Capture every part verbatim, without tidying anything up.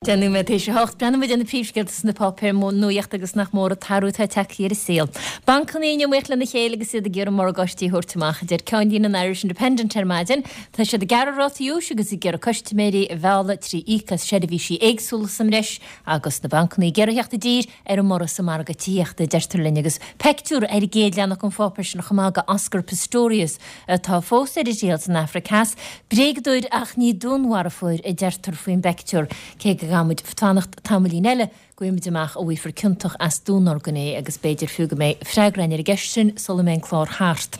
Deich nóiméad théis a hocht, breathnóidh muid ar na príomhscéalta sna páipéir nuachta agus nach mór an t-athrú atá tagtha ar an saol. Bancanna in iomaíocht lena chéile agus iad ag iarraidh morgáistí a thabhairt amach, a deir ceannlíne an Irish Independent ar maidin. Tá siad ag gearradh rátaí úis agus ag iarraidh custaiméirí a mhealladh trí íoc as seirbhísí éagsúla sa mbreis agus na bancanna ag iarraidh theacht i dtír ar an mborradh sa margadh tithíochta, a deirtear linn agus peictiúr ar an gcéad leathanach den pháipéar sin chomh maith de Oscar Pistorius atá fós ar a thriail san Afraic Theas. Bréagadóir ach ní dúnmharfóir, a deirtear faoin bpeictiúr, cé go gcaithfidh muid fanacht tamaillín eile go bhfaighidh muid amach an bhfaighfear ciontach as dúnorgain é agus b'fhéidir fiú go mbeidh freagra againn ar an gceist sin sula mbeidh an clár thart.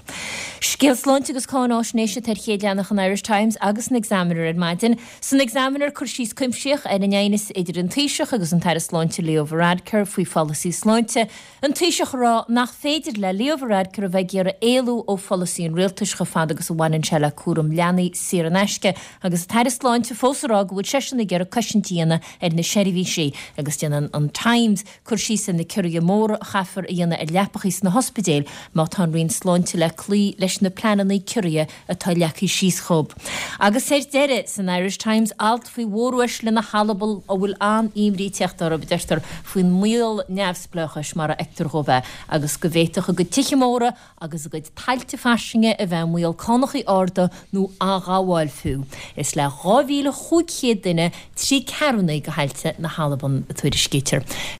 Scéal sláinte agus cáináisnéise atá ar chéad leathanach an Irish Times agus an Examiner ar maidin. San Examiner cur síos cuimsitheach ar an aighneas idir an Taoiseach agus an tAire Sláinte Leo Varadkar faoi pholasaí sláinte, an Taoiseach ag rá nach féidir le Leo Varadkar a bheith ag iarraidh éalú ó pholasaí an rialtais chomh fada agus a bhaineann sé le cúram leanaí saor in aisce agus an tAire Sláinte fós ag rá go bhfuil seisean ag iarraidh cosaint a dhéanamh ar na seirbhísí agus déanann an Times cur síos ar na ciorruithe móra a chaithfear a dhéanamh ar leapachaí sna hospidéil má tá an Roinn Sláinte le cloí leis na pleananna ciorruithe atá leagtha síos dhóibh. Agus ar deireadh, san Irish Times, alt faoi mhóruaisle na hAlban a bhfuil an-imní ag teacht orthu, deirtear, faoin mbaol neamhspleáchais mar a fheictear dhóibh é agus go bhféadfadh a gcuid tithe móra agus a gcuid tailte fairsinge a bheith i mbaol cánachaí arda nó athghabháil fiú. Is le dhá mhíle chúig chéad duine trí ceathrúna de thailte na hAlban, a tuairiscítear.